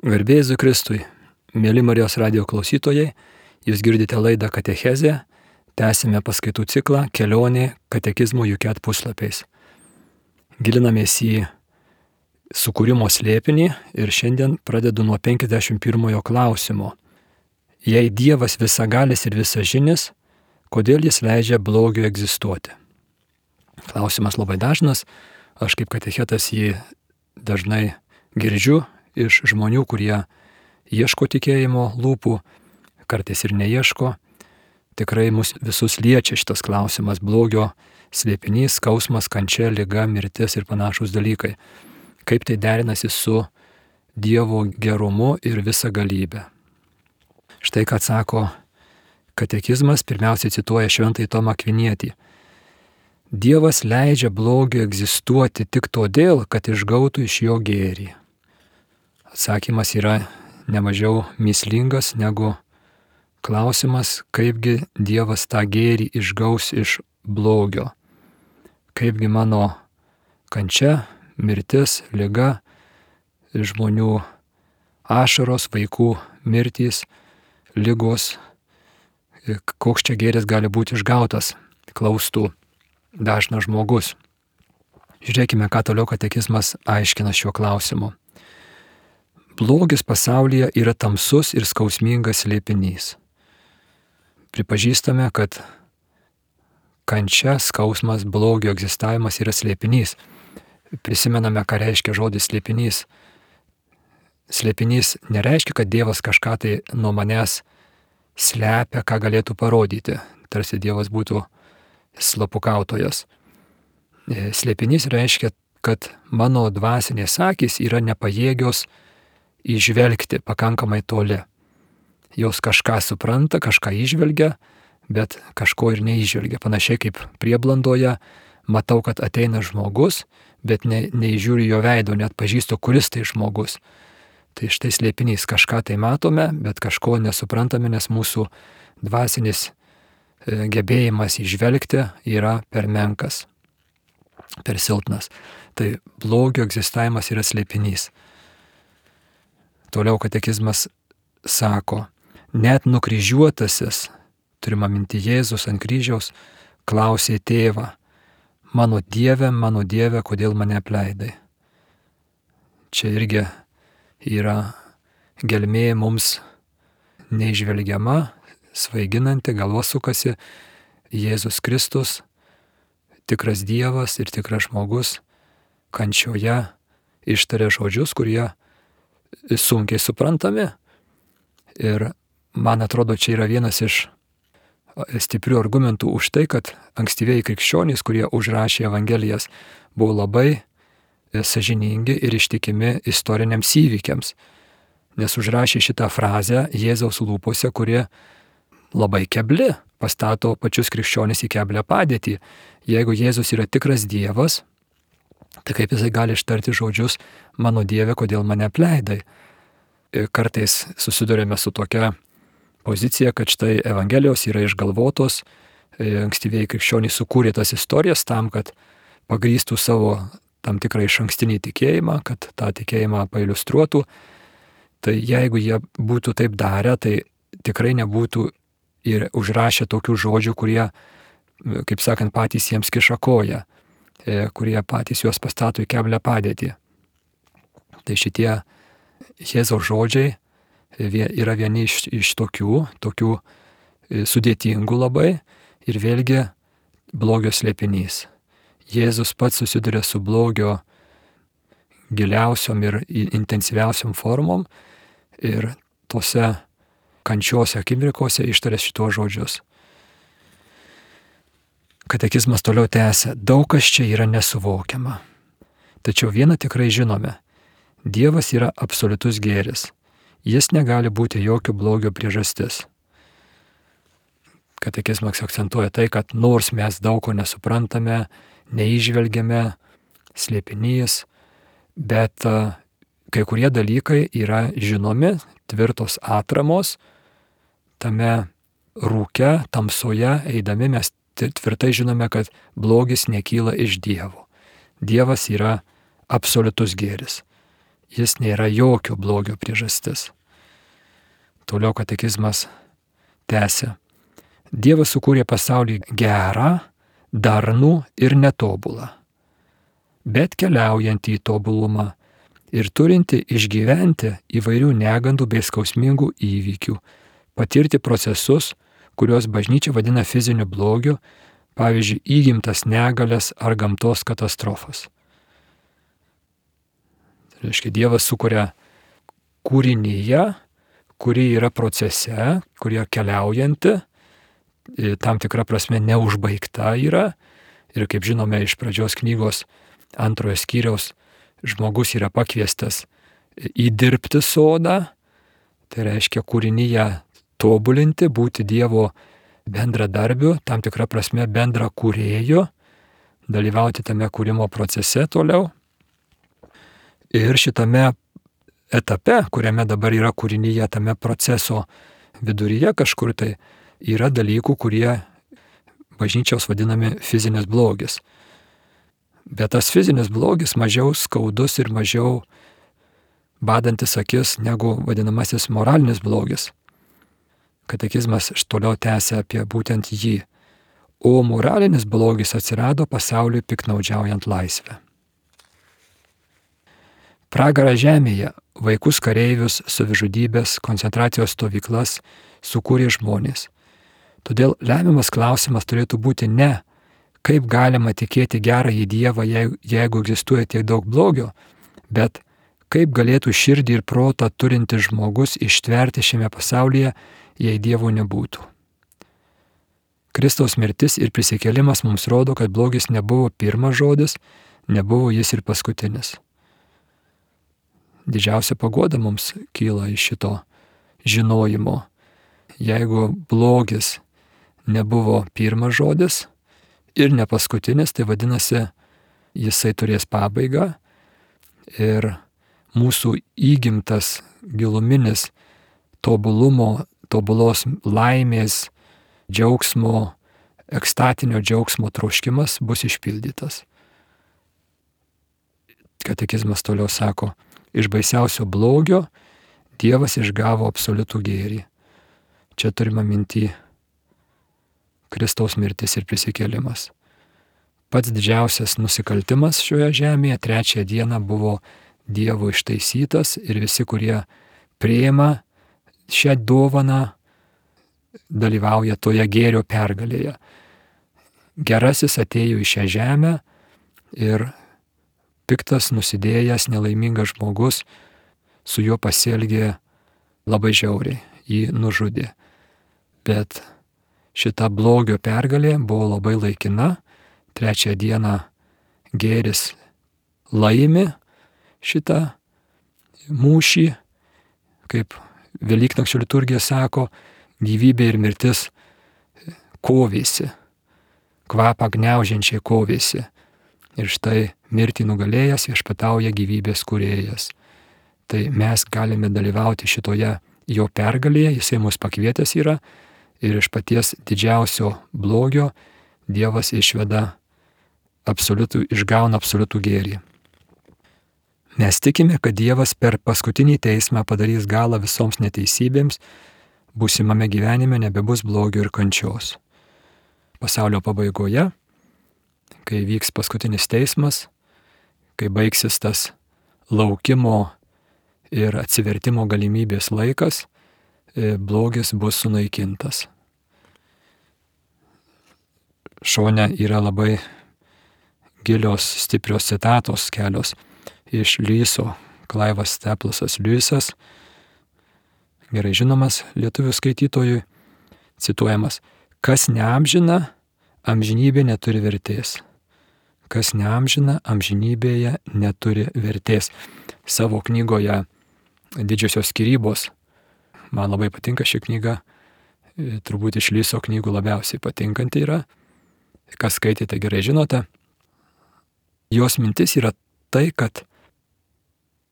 Garbė Jėzui Kristui, mėly Marijos radijo klausytojai, jūs girdite laidą Katechezė, tęsime paskaitų ciklą Kelionė katekizmo Juket puslapiais. Gilinamės į sukūrimo slėpinį ir šiandien pradedu nuo 51 klausimo. Jei Dievas visagalis ir visažinis, kodėl jis leidžia blogiui egzistuoti? Klausimas labai dažnas, aš kaip katechetas jį dažnai girdžiu iš žmonių, kurie ieško tikėjimo lūpų, kartais ir neieško. Tikrai mus visus liečia šitas klausimas: blogio slėpinys, skausmas, kančia, liga, mirtis ir panašūs dalykai. Kaip tai derinasi su Dievo gerumu ir visagalybė. Štai ką sako katekizmas, pirmiausiai cituoja Šventąjį Tomą Akvinietį. Dievas leidžia blogiui egzistuoti tik todėl, kad išgautų iš jo gėrį. Atsakymas yra nemažiau mįslingas negu klausimas, kaipgi Dievas tą gėrį išgaus iš blogio. Kaipgi mano kančia, mirtis, liga, žmonių ašaros, vaikų mirtys, ligos, koks čia gėris gali būti išgautas, klaustų dažnas žmogus. Žiūrėkime, ką toliau katekizmas aiškina šiuo klausimu. Blogis pasaulyje yra tamsus ir skausmingas slėpinys. Pripažįstame, kad kančia, skausmas, blogio egzistavimas yra slėpinys. Prisimename, ką reiškia žodis slėpinys. Slėpinys nereiškia, kad Dievas kažką tai nuo manęs slepia, ką galėtų parodyti. Tarsi Dievas būtų slapukautojas. Slėpinys reiškia, kad mano dvasinės akys yra nepajėgios įžvelgti pakankamai toli. Jos kažką supranta, kažką įžvelgia, bet kažko ir neįžvelgia. Panašiai kaip prieblandoje matau, kad ateina žmogus, bet neįžiūriu jo veido, net pažįstu, kuris tai žmogus. Tai štai slėpinys, kažką tai matome, bet kažko nesuprantame, nes mūsų dvasinis gebėjimas įžvelgti yra per menkas, per silpnas. Tai blogio egzistavimas yra slėpinys. Toliau katekizmas sako, net nukryžiuotasis, turima minti Jėzus ant kryžiaus, klausė tėvą, mano Dieve, kodėl mane apleidai? Čia irgi yra gelmė mums neižvelgiama, svaiginanti, galva sukasi. Jėzus Kristus, tikras Dievas ir tikras žmogus, kančioje ištarė žodžius, kurie sunkiai suprantami. Ir man atrodo, čia yra vienas iš stiprių argumentų už tai, kad ankstyvieji krikščionys, kurie užrašė Evangelijas, buvo labai sąžiningi ir ištikimi istoriniams įvykiams. Nes užrašė šitą frazę Jėzaus lūpose, kuri labai kebli, pastato pačius krikščionis į keblią padėtį. Jeigu Jėzus yra tikras Dievas, tai kaip jisai gali ištarti žodžius, mano Dieve, kodėl mane apleidai? Kartais susidurėme su tokia pozicija, kad štai Evangelijos yra išgalvotos, ankstyvieji krikščionys sukūrė tas istorijas tam, kad pagrįstų savo tam tikrą išankstinį tikėjimą, kad tą tikėjimą pailiustruotų. Tai jeigu jie būtų taip darę, tai tikrai nebūtų ir užrašę tokių žodžių, kurie, kaip sakant, patys jiems kiša koją, kurie patys juos pastato į keblią padėtį. Tai šitie Jėzaus žodžiai yra vieni iš tokių sudėtingų labai ir vėlgi blogio slėpinys. Jėzus pats susiduria su blogio giliausiom ir intensyviausiom formom ir tose kančiose akimirkose ištarė šitos žodžius. Katekizmas toliau tęsia, daug kas čia yra nesuvokiama. Tačiau vieną tikrai žinome, Dievas yra absoliutus gėris. Jis negali būti jokio blogio priežastis. Katekizmas akcentuoja tai, kad nors mes daug ko nesuprantame, neįžvelgiame, slėpinys, bet kai kurie dalykai yra žinomi, tvirtos atramos, tame rūke, tamsoje eidami mes tvirtai žinome, kad blogis nekyla iš Dievo. Dievas yra absoliutus gėris. jis nėra jokio blogio priežastis. Toliau katekizmas tęsia. Dievas sukūrė pasaulį gerą, darnų ir netobulą, bet keliaujantį į tobulumą ir turinti išgyventi įvairių negandų bei skausmingų įvykių, patirti procesus, kuriuos bažnyčia vadina fiziniu blogiu, pavyzdžiui, įgimtas negalias ar gamtos katastrofas. Tai reiškia, Dievas sukuria kūrinyje, kuri yra procese, kurie keliaujanti, tam tikra prasme neužbaigta yra. Ir kaip žinome iš pradžios knygos 2 skyriaus, žmogus yra pakviestas įdirbti sodą, tai reiškia kūrinyje tobulinti, būti Dievo bendradarbiu, tam tikra prasme bendra kūrėju, dalyvauti tame kūrimo procese toliau. Ir šitame etape, kuriame dabar yra kūrinyje, tame proceso viduryje kažkur tai yra dalykų, kurie bažnyčios vadinami fizinis blogis. Bet tas fizinis blogis mažiau skaudus ir mažiau badantis akis negu vadinamasis moralinis blogis. Katekizmas toliau tęsia apie būtent jį. O moralinis blogis atsirado pasauliui piknaudžiaujant laisvę. Pragarą žemėje, vaikus kareivius, savižudybės, koncentracijos stovyklas sukūrė žmonės. Todėl lemiamas klausimas turėtų būti ne, kaip galima tikėti gerąjį Dievą, jeigu egzistuoja tiek daug blogio, bet kaip galėtų širdį ir protą turintis žmogus ištverti šiame pasaulyje, jei Dievo nebūtų. Kristaus mirtis ir prisikėlimas mums rodo, kad blogis nebuvo pirmas žodis, nebuvo jis ir paskutinis. Didžiausia paguoda mums kyla iš šito žinojimo. Jeigu blogis nebuvo pirmas žodis ir ne paskutinis, tai vadinasi, jisai turės pabaigą ir mūsų įgimtas giluminis tobulumo, tobulos laimės, džiaugsmo, ekstatinio džiaugsmo troškimas bus išpildytas. Katekizmas toliau sako, iš baisiausio blogio Dievas išgavo absoliutų gėrį. Čia turime minty Kristaus mirtis ir prisikėlimas. Pats didžiausias nusikaltimas šioje žemėje 3 dieną buvo Dievo ištaisytas ir visi, kurie priima šią dovaną, dalyvauja toje gėrio pergalėje. Gerasis atėjo į šią žemę ir piktas, nusidėjęs, nelaimingas žmogus su juo pasielgė labai žiauriai, jį nužudė. Bet šita blogio pergalė buvo labai laikina. 3 dieną gėris laimi šitą mūšį, kaip Velyknakčio liturgija sako, gyvybė ir mirtis kovėsi, kvapą gniaužiančiai kovėsi. Ir štai mirtį nugalėjęs viešpatauja gyvybės kūrėjas. Tai mes galime dalyvauti šitoje jo pergalėje, jisai mus pakvietęs yra ir iš paties didžiausio blogio Dievas išgauna absoliutų gėrį. Mes tikime, kad Dievas per paskutinį teismą padarys galą visoms neteisybėms, būsimame gyvenime nebebus blogio ir kančios. Pasaulio pabaigoje, kai vyks paskutinis teismas, kai baigsis tas laukimo ir atsivertimo galimybės laikas, blogis bus sunaikintas. Šone yra labai gilios, stiprios citatos kelios iš Liuiso, Klaivas Steplasas Liuisas, gerai žinomas lietuvių skaitytojui, cituojamas, kas neamžina, amžinybė neturi vertės. Kas neamžina, amžinybėje neturi vertės. Savo knygoje Didžiosios skyrybos, man labai patinka ši knyga, turbūt iš Liuiso knygų labiausiai patinkanti yra, kas skaitėte gerai žinote. Jos mintis yra tai, kad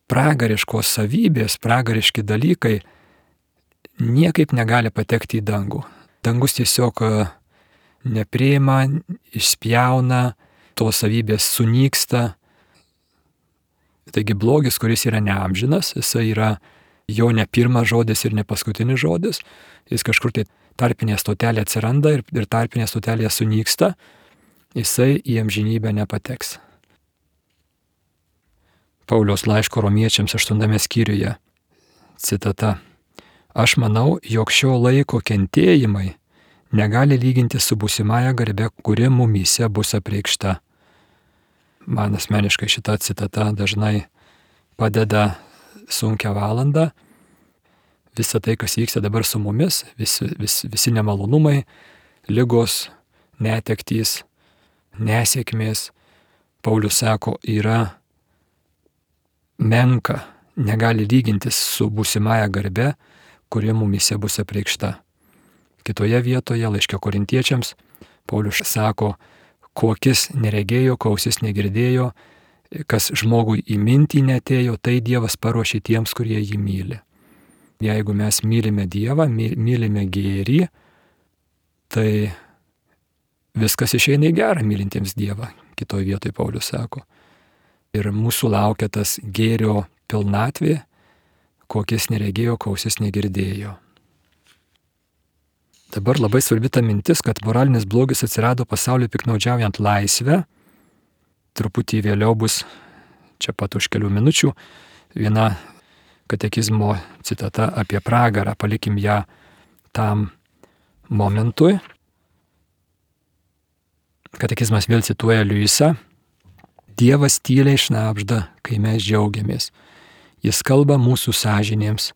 pragariškos savybės, pragariški dalykai niekaip negali patekti į dangų. Dangus tiesiog nepriima, išspjauna, tos savybės sunyksta. Taigi blogis, kuris yra neamžinas, jisai yra jo ne pirmas žodis ir ne paskutinis žodis, jis kažkur tai tarpinė stotelė atsiranda ir tarpinė stotelė sunyksta, jisai į amžinybę nepateks. Pauliaus laiško Romiečiams 8 skyriuje, citata: Aš manau, jog šio laiko kentėjimai negali lyginti su būsimąja garbe, kuri mumyse bus apreikšta. Man asmeniškai šita citata dažnai padeda sunkią valandą. Visa tai, kas vyksta dabar su mumis, visi nemalonumai, ligos, netektys, nesėkmės, Paulius sako, yra menka, negali lygintis su būsimąja garbe, kuri mumyse bus apreikšta. Kitoje vietoje, laiške Korintiečiams, Paulius sako, ko akis neregėjo, ko ausis negirdėjo, kas žmogui į mintį netėjo, tai Dievas paruošė tiems, kurie jį myli. Jeigu mes mylime Dievą, mylime gėrį, tai viskas išeina į gerą mylintiems Dievą, kitoje vietoje Paulius sako. Ir mūsų laukia tas gėrio pilnatvė, ko akis neregėjo, ko ausis negirdėjo. Dabar labai svarbi ta mintis, kad moralinis blogis atsirado pasauliu piknaudžiaujant laisvę. Truputį vėliau bus, čia pat už kelių minučių, viena katekizmo citata apie pragarą, palikim ją tam momentui. Katekizmas vėl cituoja Liujisą. Dievas tyliai šnabžda, kai mes džiaugiamės. Jis kalba mūsų sąžinėms,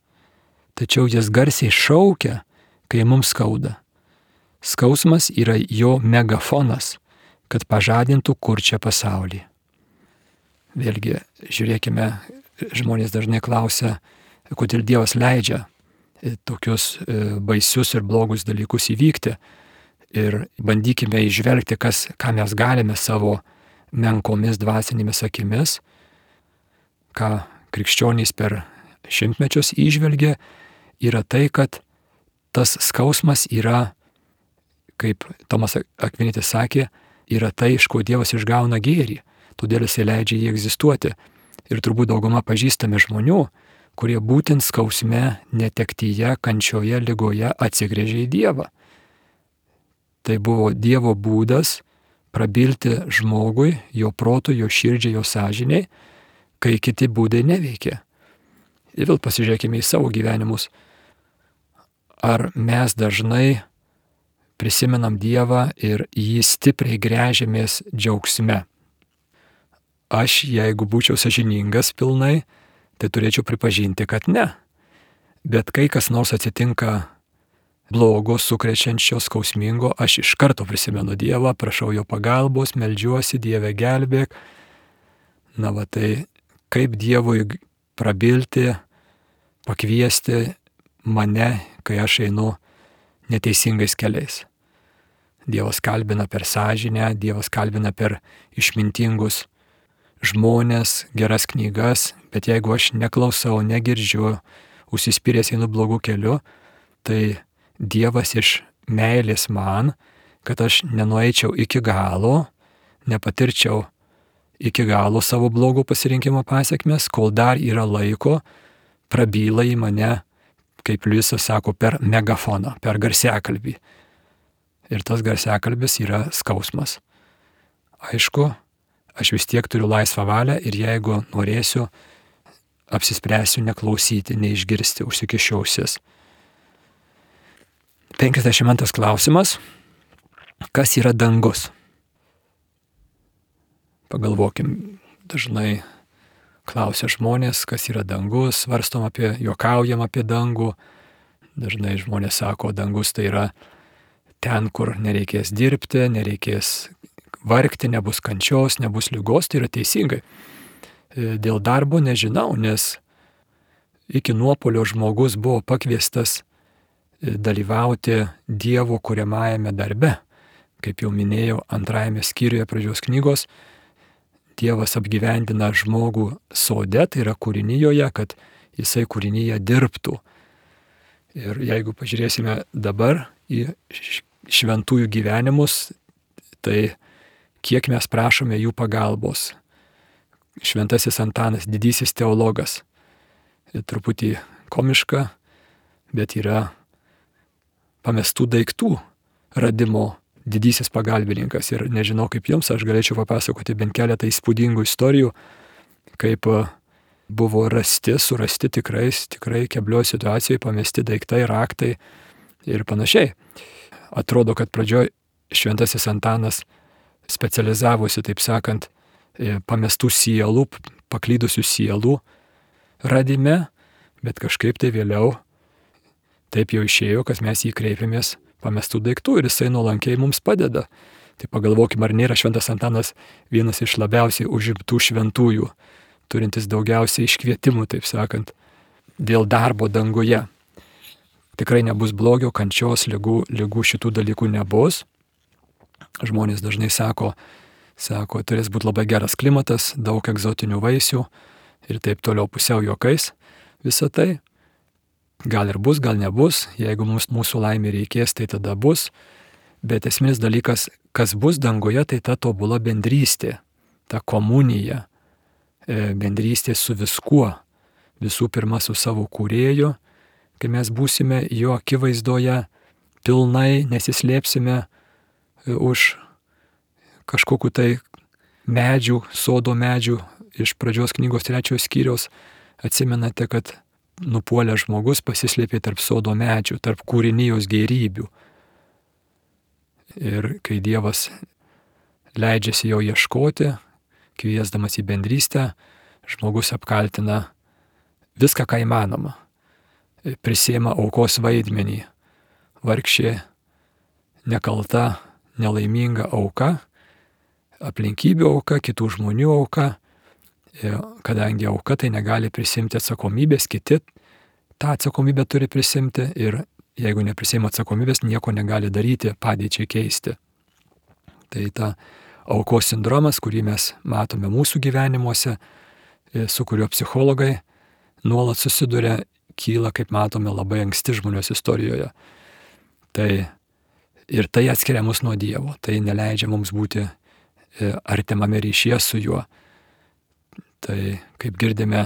tačiau jis garsiai šaukia, kai mums skauda. Skausmas yra jo megafonas, kad pažadintų kurčią pasaulį. Vėlgi, žiūrėkime, žmonės dažnai klausia, kodėl Dievas leidžia tokius baisius ir blogus dalykus įvykti. Ir bandykime įžvelgti, ką mes galime savo menkomis dvasinėmis akimis, ką krikščionys per šimtmečius įžvelgia, yra tai, kad tas skausmas yra, kaip Tomas Akvinitis sakė, yra tai, iš ko Dievas išgauna gėrį, todėl jisai leidžia jį egzistuoti. Ir turbūt dauguma pažįstame žmonių, kurie būtent skausme, netektyje, kančioje, ligoje atsigręžė į Dievą. Tai buvo Dievo būdas prabilti žmogui, jo protui, jo širdžiai, jo sąžiniai, kai kiti būdai neveikia. Ir vėl pasižiūrėkime į savo gyvenimus. Ar mes dažnai prisimenam Dievą ir jį stipriai gręžiamės džiaugsme? Aš, jeigu būčiau sąžiningas pilnai, tai turėčiau pripažinti, kad ne. Bet kai kas nors atsitinka blogo, sukrečiančio, skausmingo, aš iš karto prisimenu Dievą, prašau jo pagalbos, meldžiuosi, Dieve gelbėk. Na va tai kaip Dievui prabilti, pakviesti mane, kai aš einu neteisingais keliais. Dievas kalbina per sąžinę, Dievas kalbina per išmintingus žmonės, geras knygas, bet jeigu aš neklausau, negirdžiu, užsispyręs einu blogų keliu, tai Dievas iš meilės man, kad aš nenueičiau iki galo, nepatirčiau iki galo savo blogo pasirinkimo pasiekmes, kol dar yra laiko, prabyla į mane, kaip Liujisas sako, per megafoną, per garsiakalbį. Ir tas garsiakalbis yra skausmas. Aišku, aš vis tiek turiu laisvą valią ir jeigu norėsiu, apsispręsiu neklausyti, neišgirsti, užsikišiu ausis. 52 klausimas. Kas yra dangus? Pagalvokim, dažnai klausia žmonės, kas yra dangus, svarstom juokaujam apie dangų. Dažnai žmonės sako, dangus tai yra ten, kur nereikės dirbti, nereikės vargti, nebus kančios, nebus ligos, tai yra teisingai. Dėl darbo nežinau, nes iki nuopuolio žmogus buvo pakviestas dalyvauti Dievo kuriamajame darbe. Kaip jau minėjau, 2 skyriuje pradžios knygos, Dievas apgyvendina žmogų sode, tai yra kūrinijoje, kad jisai kūrinyje dirbtų. Ir jeigu pažiūrėsime dabar į šventųjų gyvenimus, tai kiek mes prašome jų pagalbos, Šventasis Antanas, didysis teologas. Truputį komiška, bet yra pamestų daiktų radimo didysis pagalbininkas. Ir nežinau kaip jums, aš galėčiau papasakoti bent keletą įspūdingų istorijų, kaip buvo surasti tikrai keblioj situacijoje pamesti daiktai, raktai ir panašiai. Atrodo, kad pradžioj Šventasis Antanas specializavosi, taip sakant, pamestų sielų, paklydusių sielų radime, bet kažkaip tai vėliau taip jau išėjo, kad mes jį kreipėmės pamestų daiktų ir jisai nuolankiai mums padeda. Tai pagalvokime, ar nėra Šventas Antanas vienas iš labiausiai užimtų šventųjų, turintis daugiausiai iškvietimų, taip sakant, dėl darbo danguje. Tikrai nebus blogio, kančios, ligų šitų dalykų nebus. Žmonės dažnai sako, turės būti labai geras klimatas, daug egzotinių vaisių ir taip toliau pusiau juokais. Visą tai gal ir bus, gal nebus. Jeigu mūsų laimė reikės, tai tada bus. Bet esminis dalykas, kas bus danguje, tai ta tobula bendrystė, ta komunija, bendrystė su viskuo. Visų pirma su savo kūrėju, kai mes būsime jo akivaizdoje pilnai, nesislėpsime už kažkokiu tai medžių, sodo medžių. Iš pradžios knygos 3 skyriaus atsimenate, kad nupuolęs žmogus pasislėpė tarp sodo medžių, tarp kūrinijos gėrybių. Ir kai Dievas leidžiasi jo ieškoti, kviesdamas į bendrystę, žmogus apkaltina viską, ką įmanoma. Prisiima aukos vaidmenį. Vargšė, nekalta, nelaiminga auka, aplinkybių auka, kitų žmonių auka. Kadangi auka tai negali prisimti atsakomybės, kiti tą atsakomybę turi prisimti ir jeigu neprisiima atsakomybės, nieko negali daryti, padėčiai keisti. Tai ta aukos sindromas, kurį mes matome mūsų gyvenimuose, su kuriuo psichologai nuolat susiduria, kyla, kaip matome, labai anksti žmonijos istorijoje. Ir tai atskiria mus nuo Dievo, tai neleidžia mums būti artimame ryšyje su juo. Tai kaip girdime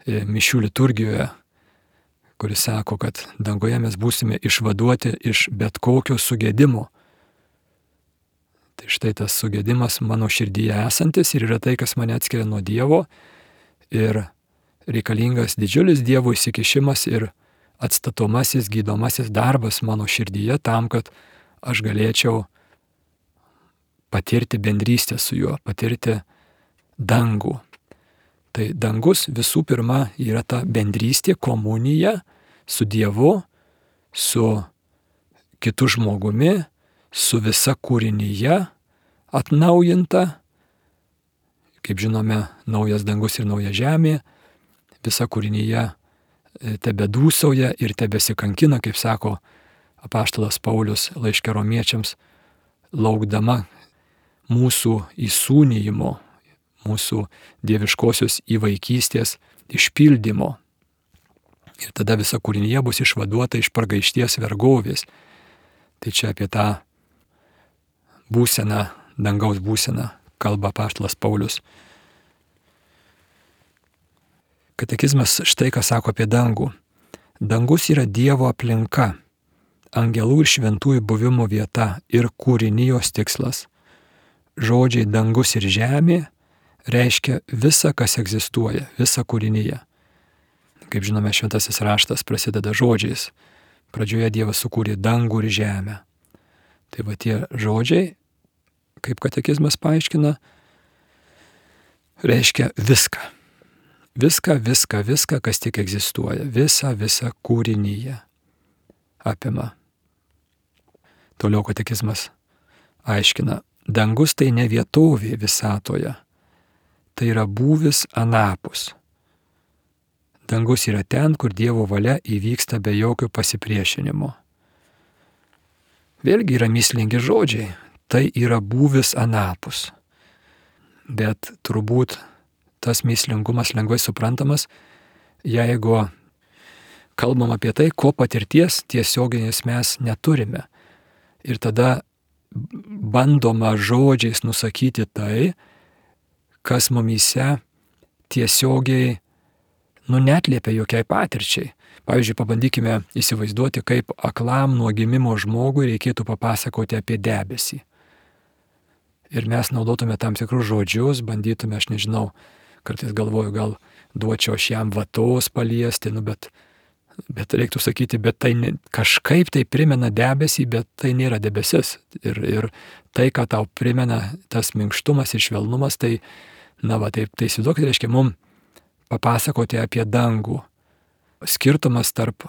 mišių liturgijoje, kuris sako, kad dangoje mes būsime išvaduoti iš bet kokio sugėdimo. Tai štai tas sugėdimas mano širdyje esantis ir yra tai, kas mane atskiria nuo Dievo ir reikalingas didžiulis Dievo įsikišimas ir atstatomasis, gydomasis darbas mano širdyje tam, kad aš galėčiau patirti bendrystę su juo, patirti dangų. Tai dangus visų pirma yra ta bendrystė, komunija su Dievu, su kitu žmogumi, su visa kūrinyje atnaujinta. Kaip žinome, naujas dangus ir nauja žemė, visa kūrinyje tebedūsauja ir tebesikankina, kaip sako apaštalas Paulius laiške Romiečiams, laukdama mūsų įsūnijimo, mūsų dieviškosios įvaikystės išpildymo. Ir tada visa kūrinyje bus išvaduota iš pragaišties vergovės. Tai čia apie tą būseną, dangaus būseną, kalba apaštalas Paulius. Katekizmas štai ką sako apie dangų. Dangus yra Dievo aplinka, angelų ir šventųjų buvimo vieta ir kūrinijos tikslas. Žodžiai dangus ir žemė reiškia visa, kas egzistuoja, visa kūrinyje. Kaip žinome, šventasis raštas prasideda žodžiais. Pradžioje Dievas sukūrė dangų ir žemę. Tai va tie žodžiai, kaip katekizmas paaiškina, reiškia viską. Viską, kas tik egzistuoja. Visa kūrinyje apima. Toliau katekizmas aiškina, dangus tai ne vietovė visatoje. Tai yra būvis anapus. Dangus yra ten, kur Dievo valia įvyksta be jokio pasipriešinimo. Vėlgi yra mįslingi žodžiai. Tai yra būvis anapus. Bet turbūt tas mįslingumas lengvai suprantamas, jeigu kalbam apie tai, ko patirties tiesioginės mes neturime. Ir tada bandoma žodžiais nusakyti tai, kas mumyse tiesiogiai, netliepia jokiai patirčiai. Pavyzdžiui, pabandykime įsivaizduoti, kaip aklam nuo gimimo žmogui reikėtų papasakoti apie debesį. Ir mes naudotume tam tikrus žodžius, bandytume, aš nežinau, kartais galvoju, gal duočiau aš jam vatos paliesti, bet reiktų sakyti, bet tai kažkaip tai primena debesį, bet tai nėra debesis. Ir tai, ką tau primena tas minkštumas ir švelnumas, tai, tai įsivaizduok, tai reiškia mums papasakoti apie dangų. Skirtumas tarp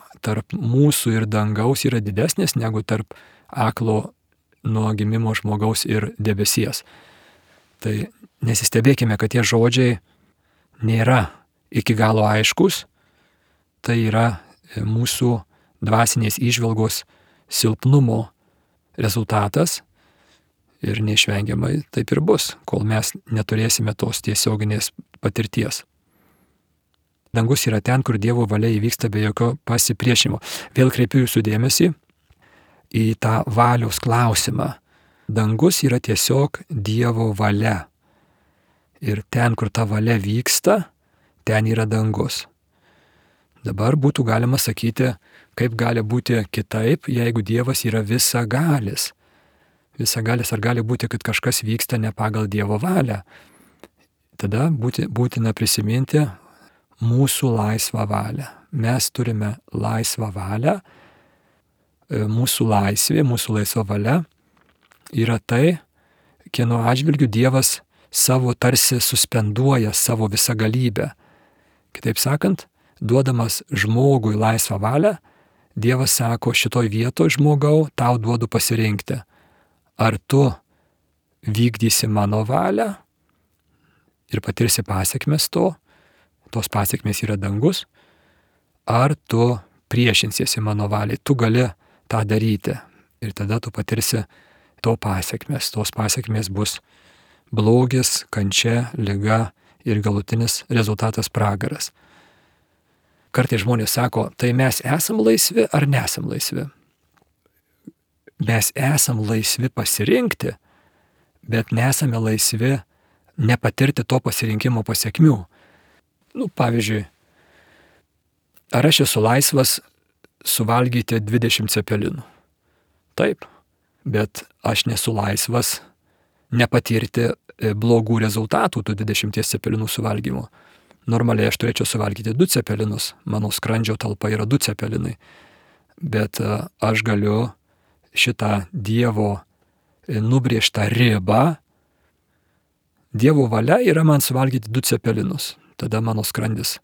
mūsų ir dangaus yra didesnis negu tarp aklo nuo gimimo žmogaus ir debesies. Tai nesistebėkime, kad tie žodžiai nėra iki galo aiškus, tai yra mūsų dvasinės įžvalgos silpnumo rezultatas ir neišvengiamai taip ir bus, kol mes neturėsime tos tiesioginės patirties. Dangus yra ten, kur Dievo valia įvyksta be jokio pasipriešinimo. Vėl kreipiu jūsų dėmesį į tą valios klausimą. Dangus yra tiesiog Dievo valia. Ir ten, kur ta valia vyksta, ten yra dangus. Dabar būtų galima sakyti, kaip gali būti kitaip, jeigu Dievas yra visagalis. Visagalis, ar gali būti, kad kažkas vyksta ne pagal Dievo valią? Tada būtina prisiminti mūsų laisvą valią. Mes turime laisvą valią. Mūsų laisvė, mūsų laisva valia yra tai, kieno atžvilgiu Dievas savo tarsi suspenduoja savo visagalybę. Kitaip sakant, duodamas žmogui laisvą valią, Dievas sako, šitoj vietoj žmogau, tau duodu pasirinkti. Ar tu vykdysi mano valią ir patirsi pasiekmes to, tos pasiekmes yra dangus, ar tu priešinsiesi mano valiai, tu gali tą daryti ir tada tu patirsi to pasiekmes. Tos pasiekmes bus blogis, kančia, liga ir galutinis rezultatas pragaras. Kartais žmonės sako, tai mes esam laisvi ar nesam laisvi? Mes esam laisvi pasirinkti, bet nesame laisvi nepatirti to pasirinkimo pasiekmių. Pavyzdžiui, ar aš esu laisvas suvalgyti 20 cepelinų? Taip, bet aš nesu laisvas nepatirti blogų rezultatų tų 20 cepelinų suvalgymo. Normaliai aš turėčiau suvalgyti 2 cepelinus, mano skrandžio talpa yra 2 cepelinai, bet aš galiu šitą Dievo nubrėžtą ribą, Dievo valia yra man suvalgyti 2 cepelinus. Tada mano skrandis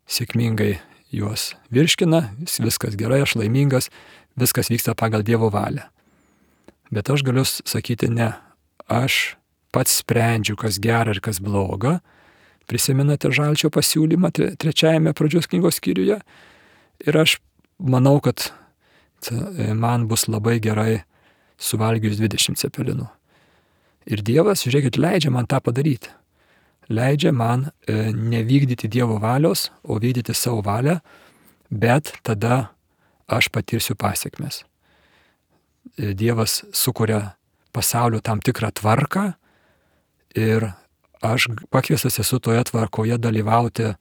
sėkmingai juos virškina, viskas gerai, aš laimingas, viskas vyksta pagal Dievo valią. Bet aš galiu sakyti ne, aš pats sprendžiu, kas gera ir kas bloga. Prisimenate Žalčio pasiūlymą 3 pradžios knygos skyriuje? Ir aš manau, kad man bus labai gerai suvalgius 20 cepelinų. Ir Dievas, žiūrėkit, leidžia man tą padaryti. Leidžia man nevykdyti Dievo valios, o vykdyti savo valią, bet tada aš patirsiu pasiekmes. Dievas sukuria pasaulio tam tikrą tvarką ir aš pakviestas esu toje tvarkoje dalyvauti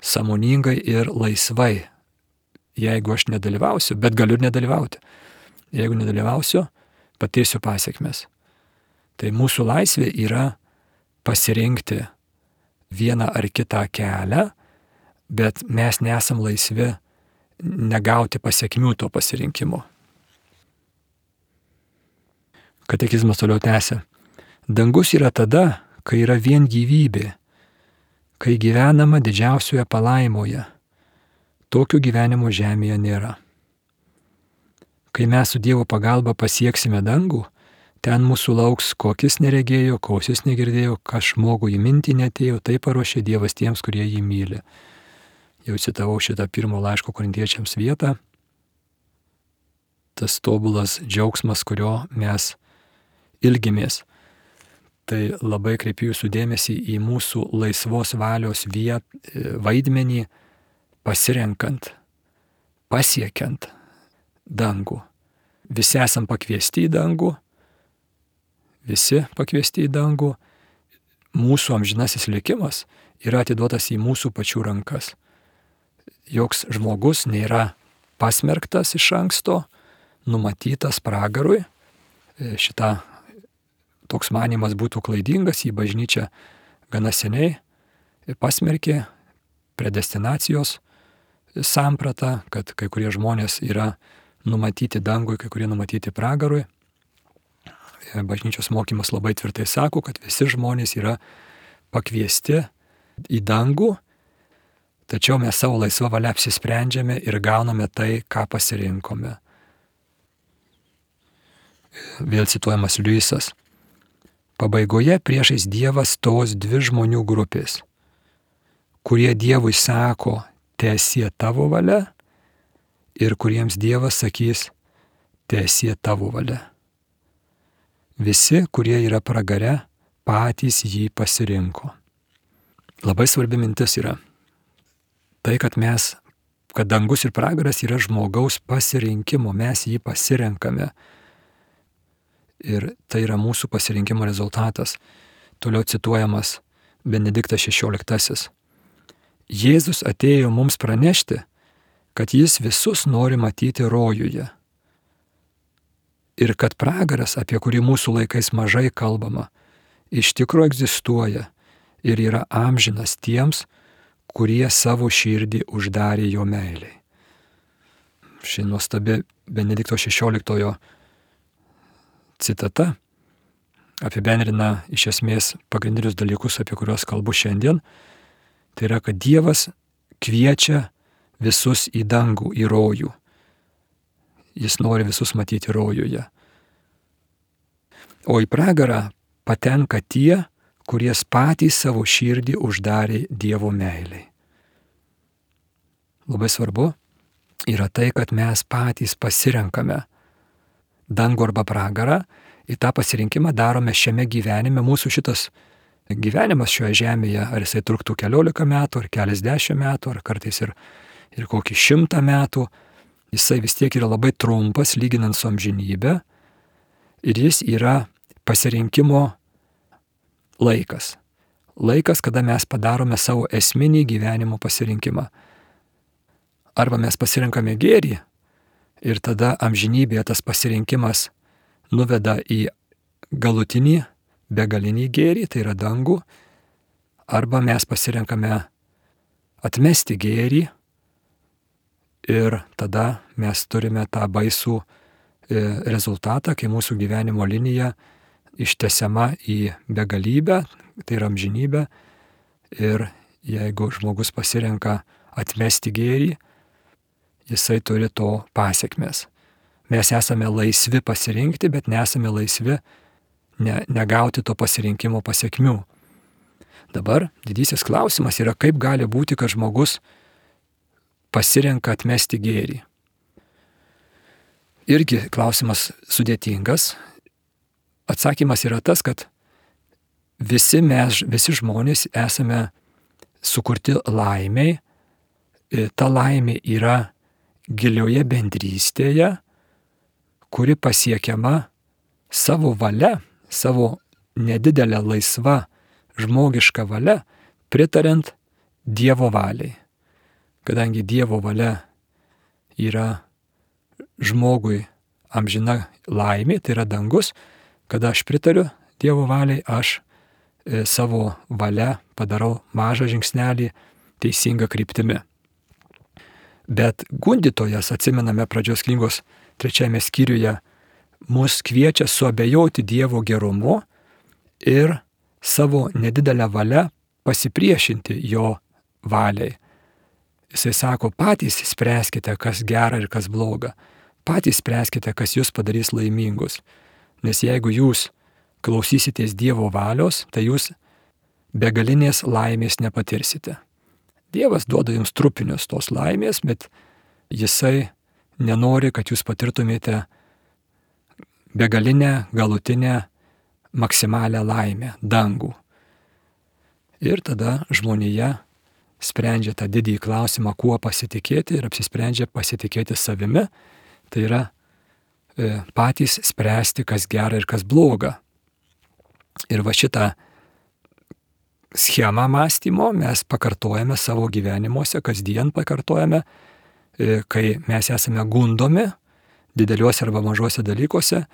sąmoningai ir laisvai. Jeigu aš nedalyvausiu, bet galiu ir nedalyvauti. Jeigu nedalyvausiu, patirsiu pasiekmes. Tai mūsų laisvė yra pasirinkti vieną ar kitą kelią, bet mes nesam laisvi negauti pasiekmių to pasirinkimo. Katekizmas toliau tęsia. Dangus yra tada, kai yra vien gyvybė, kai gyvenama didžiausioje palaimoje. Tokio gyvenimo žemėje nėra. Kai mes su Dievo pagalba pasieksime dangų, ten mūsų lauks, kokis neregėjo, kausis negirdėjo, kas žmogui į mintį netėjo, tai paruošė Dievas tiems, kurie jį myli. Jau citavau šitą 1 laiško Korintiečiams vietą. Tas tobulas džiaugsmas, kurio mes ilgimės. Tai labai kreipiu jūsų dėmesį į mūsų laisvos valios vaidmenį, pasirenkant, pasiekiant dangų. Visi esam pakviesti į dangų, visi pakviesti į dangų. Mūsų amžinasis likimas yra atiduotas į mūsų pačių rankas. Joks žmogus nėra pasmerktas iš anksto, numatytas pragarui. Šita toks manimas būtų klaidingas, į bažnyčią gana seniai pasmerkė predestinacijos sampratą, kad kai kurie žmonės yra numatyti dangui, kai kurie numatyti pragarui. Bažnyčios mokymas labai tvirtai sako, kad visi žmonės yra pakviesti į dangų, tačiau mes savo laisvą valią apsisprendžiame ir gauname tai, ką pasirinkome. Vėl cituojamas Liujisas. Pabaigoje priešais Dievą stos dvi žmonių grupės, kurie Dievui sako, teesie tavo valia, ir kuriems Dievas sakys, teesie tavo valia. Visi, kurie yra pragare, patys jį pasirinko. Labai svarbi mintis yra tai, kad dangus ir pragaras yra žmogaus pasirinkimo, mes jį pasirenkame. Ir tai yra mūsų pasirinkimo rezultatas. Toliau cituojamas Benediktas XVI. Jėzus atėjo mums pranešti, kad jis visus nori matyti rojuje. Ir kad pragaras, apie kurį mūsų laikais mažai kalbama, iš tikro egzistuoja ir yra amžinas tiems, kurie savo širdį uždarė jo meiliai. Ši nuostabi Benedikto XVI citata apibendrina iš esmės pagrindinius dalykus, apie kuriuos kalbu šiandien. Tai yra, kad Dievas kviečia visus į dangų, į rojų. Jis nori visus matyti rojuje. O į pragarą patenka tie, kurie patys savo širdį uždarė Dievo meiliai. Labai svarbu yra tai, kad mes patys pasirenkame dangų arba pragarą, į tą pasirinkimą darome šiame gyvenime. Mūsų šitas gyvenimas šioje žemėje, ar jisai truktų 14 metų, ar keliasdešimt metų, ar kartais ir kokį 100 metų, jisai vis tiek yra labai trumpas, lyginant su amžinybė, ir jis yra pasirinkimo laikas. Laikas, kada mes padarome savo esminį gyvenimo pasirinkimą. Arba mes pasirinkame gėrį, ir tada amžinybėje tas pasirinkimas nuveda į galutinį, begalinį gėrį, tai yra dangų, arba mes pasirenkame atmesti gėrį, ir tada mes turime tą baisų rezultatą, kai mūsų gyvenimo linija ištęsiama į begalybę, tai yra amžinybė, ir jeigu žmogus pasirenka atmesti gėrį, jisai turi to pasekmes. Mes esame laisvi pasirinkti, bet nesame laisvi negauti to pasirinkimo pasekmių. Dabar didysis klausimas yra, kaip gali būti, kad žmogus pasirenka atmesti gėrį. Irgi klausimas sudėtingas. Atsakymas yra tas, kad visi žmonės esame sukurti laimiai. Ta laimė yra gilioje bendrystėje, kuri pasiekiama savo valia, savo nedidelę laisvą žmogišką valią, pritariant Dievo valiai. Kadangi Dievo valia yra žmogui amžina laimė, tai yra dangus, kada aš pritariu Dievo valiai, aš savo valia padarau mažą žingsnelį teisingą kryptimi. Bet gundytojas, atsimename pradžios knygos 3 skyriuje, mus kviečia suabejoti Dievo gerumu ir savo nedidelę valią pasipriešinti jo valiai. Jisai sako, patys spręskite, kas gera ir kas bloga. Patys spręskite, kas jūs padarys laimingus. Nes jeigu jūs klausysitės Dievo valios, tai jūs begalinės laimės nepatirsite. Dievas duoda jums trupinius tos laimės, bet jisai nenori, kad jūs patirtumėte begalinę, galutinę, maksimalią laimę, dangų. Ir tada žmonija sprendžia tą didįjį klausimą, kuo pasitikėti, ir apsisprendžia pasitikėti savimi. Tai yra patys spręsti, kas gera ir kas bloga. Ir va šitą schemą mąstymo mes pakartojame savo gyvenimuose, kasdien pakartojame, kai mes esame gundomi dideliuose arba mažuose dalykuose,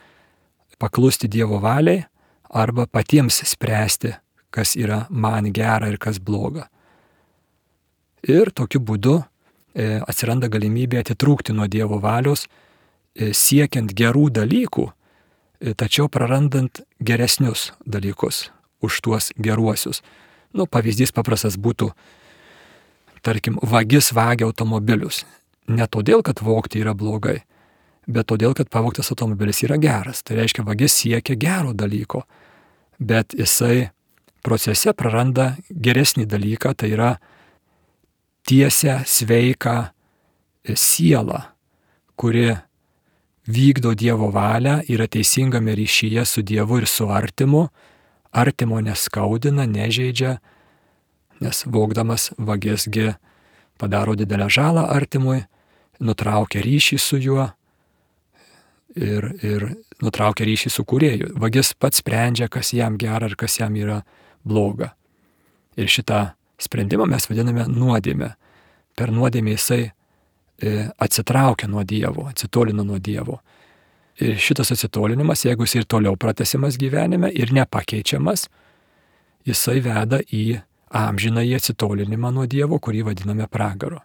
paklusti Dievo valiai arba patiems spręsti, kas yra man gera ir kas bloga. Ir tokiu būdu atsiranda galimybė atitrūkti nuo Dievo valios, siekiant gerų dalykų, tačiau prarandant geresnius dalykus už tuos geruosius. Pavyzdys paprastas būtų, tarkim, vagis vagia automobilius. Ne todėl, kad vogti yra blogai, bet todėl, kad pavogtas automobilis yra geras. Tai reiškia, vagis siekia gero dalyko, bet jisai procese praranda geresnį dalyką, tai yra tiesią, sveiką sielą, kuri vykdo Dievo valią, yra teisingame ryšyje su Dievu ir su artimu, artimo neskaudina, nežeidžia, nes vogdamas vagisgi padaro didelę žalą artimui, nutraukia ryšį su juo ir nutraukia ryšį su kūrėju. Vagis pats sprendžia, kas jam gera ir kas jam yra bloga. Ir šitą sprendimą mes vadiname nuodėmę. Per nuodėmę jisai atsitraukia nuo Dievo, atsitolina nuo Dievo. Ir šitas atsitolinimas, jeigu jis ir toliau pratęsiamas gyvenime ir nepakeičiamas, jisai veda į amžinąjį atsitolinimą nuo Dievo, kurį vadiname pragaru.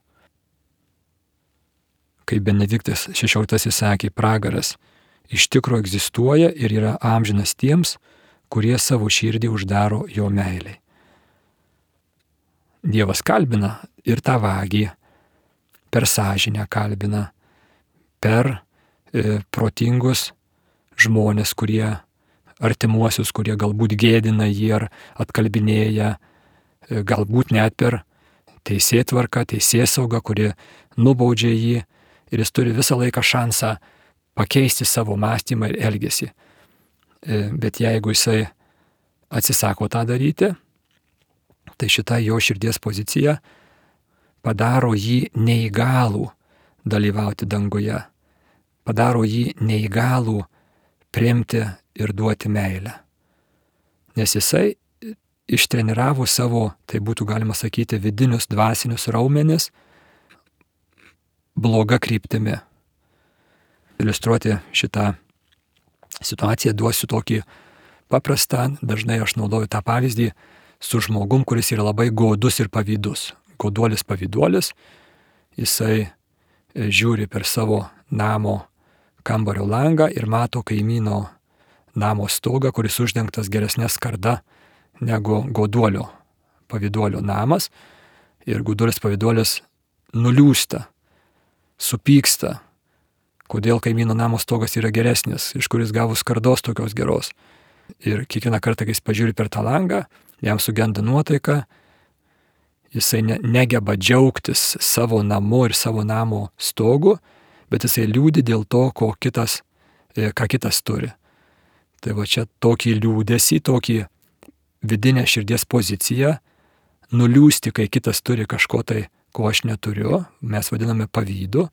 Kaip Benediktas XVI sakė, pragaras iš tikro egzistuoja ir yra amžinas tiems, kurie savo širdį uždaro jo meiliai. Dievas kalbina ir tą vagį, per sąžinę kalbina, per protingus žmonės, kurie artimuosius, kurie galbūt gėdina jį ar atkalbinėja, galbūt net per teisėtvarką, teisėsaugą, kuri nubaudžia jį ir jis turi visą laiką šansą pakeisti savo mąstymą ir elgesį. Bet jeigu jisai atsisako tą daryti, tai šita jo širdies pozicija padaro jį neįgalų dalyvauti danguje, padaro jį neįgalų priimti ir duoti meilę. Nes jisai ištreniravo savo, tai būtų galima sakyti, vidinius dvasinius raumenis bloga kryptimi. Iliustruoti šitą situaciją duosiu tokį paprastą, dažnai aš naudoju tą pavyzdį su žmogum, kuris yra labai godus ir pavydus. Goduolis pavyduolis, jisai žiūri per savo namo kambario langą ir mato kaimyno namo stogą, kuris uždengtas geresnė skarda negu goduolio pavyduolio namas. Ir goduolis pavyduolis nuliūsta, supyksta, kodėl kaimyno namo stogas yra geresnis, iš kuris gavo skardos tokios geros. Ir kiekvieną kartą, kai jis pažiūri per tą langą, jam sugenda nuotaika, jisai negeba džiaugtis savo namu ir savo namo stogu, bet jisai liūdi dėl to, ką kitas turi. Tai va čia tokį liūdesį, tokį vidinę širdies poziciją, nuliūsti, kai kitas turi kažko tai, ko aš neturiu, mes vadiname pavydu,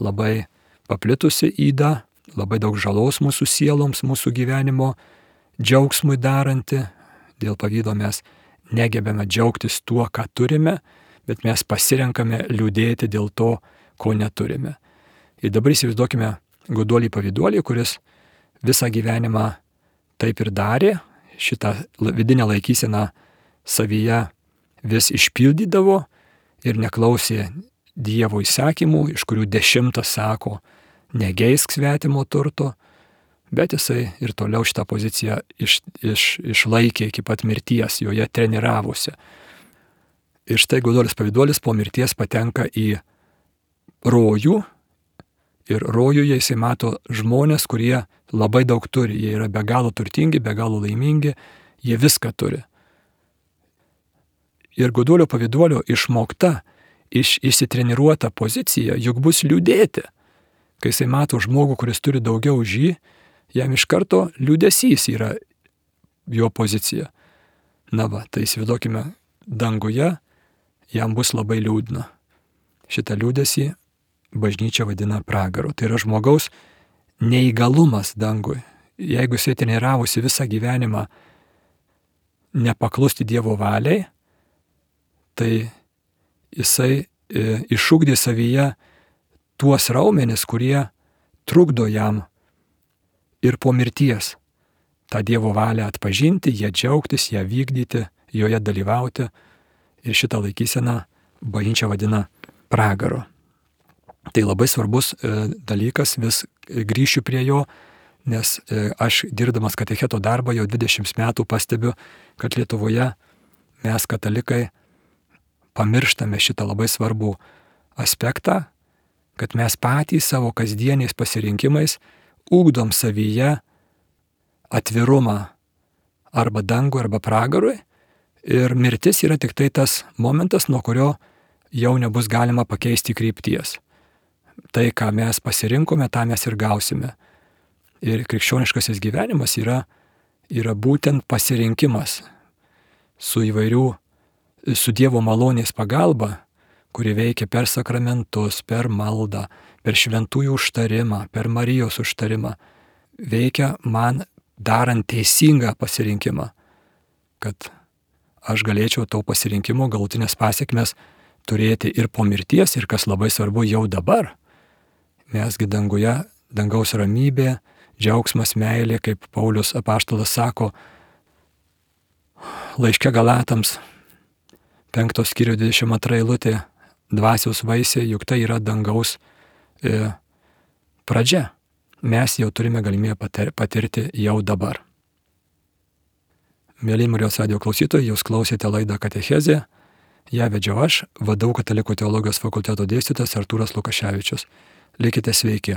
labai paplitusi yda, labai daug žalos mūsų sieloms, mūsų gyvenimo džiaugsmui daranti. Dėl pavydo mes negebame džiaugtis tuo, ką turime, bet mes pasirenkame liūdėti dėl to, ko neturime. Ir dabar įsivaizduokime goduolį pavyduolį, kuris visą gyvenimą taip ir darė, šitą vidinę laikyseną savyje vis išpildydavo ir neklausė Dievo įsakymų, iš kurių 10 sako, negeisk svetimo turto, bet jisai ir toliau šitą poziciją išlaikė iki pat mirties, joje treniravosi. Ir štai goduolis pavyduolis po mirties patenka į rojų ir rojuje jisai mato žmonės, kurie labai daug turi, jie yra be galo turtingi, be galo laimingi, jie viską turi. Ir goduolio pavyduolio išmokta, išsitreniruota pozicija juk bus liūdėti. Kai jisai mato žmogų, kuris turi daugiau už jį, jam iš karto liūdesys yra jo pozicija. Na va, tai įsivaizduokime, danguje jam bus labai liūdna. Šitą liūdesį bažnyčia vadina pragaru. Tai yra žmogaus neįgalumas dangui. Jeigu jisai treniravosi visą gyvenimą nepaklusti Dievo valiai, tai jisai išugdė savyje tuos raumenis, kurie trukdo jam ir po mirties tą Dievo valią atpažinti, ją džiaugtis, ją vykdyti, joje dalyvauti. Ir šitą laikyseną bažnyčia vadina pragaru. Tai labai svarbus dalykas, vis grįšiu prie jo, nes aš dirbdamas katecheto darbą jau 20 metų pastebiu, kad Lietuvoje mes katalikai pamirštame šitą labai svarbų aspektą, kad mes patys savo kasdieniais pasirinkimais ugdom savyje atvirumą arba dangui, arba pragarui, ir mirtis yra tik tai tas momentas, nuo kurio jau nebus galima pakeisti krypties. Tai, ką mes pasirinkome, tą mes ir gausime. Ir krikščioniškasis gyvenimas yra būtent pasirinkimas su Dievo malonės pagalba, kuri veikia per sakramentus, per maldą, per šventųjų užtarimą, per Marijos užtarimą. Veikia man darant teisingą pasirinkimą, kad aš galėčiau to pasirinkimo galutinės pasiekmes turėti ir po mirties, ir kas labai svarbu, jau dabar. Mesgi danguje, dangaus ramybė, džiaugsmas, meilė, kaip Paulius apaštalas sako laiške Galatams 5 skyrių 22 eilutė, dvasios vaisiai, juk tai yra dangaus pradžia. Mes jau turime galimybę patirti jau dabar. Mėly Marijos radijo klausytojai, jūs klausėte laidą Katechezė. Ją vedžiau aš, VDU Katalikų teologijos fakulteto dėstytojas Artūras Lukaševičius. Likite sveiki.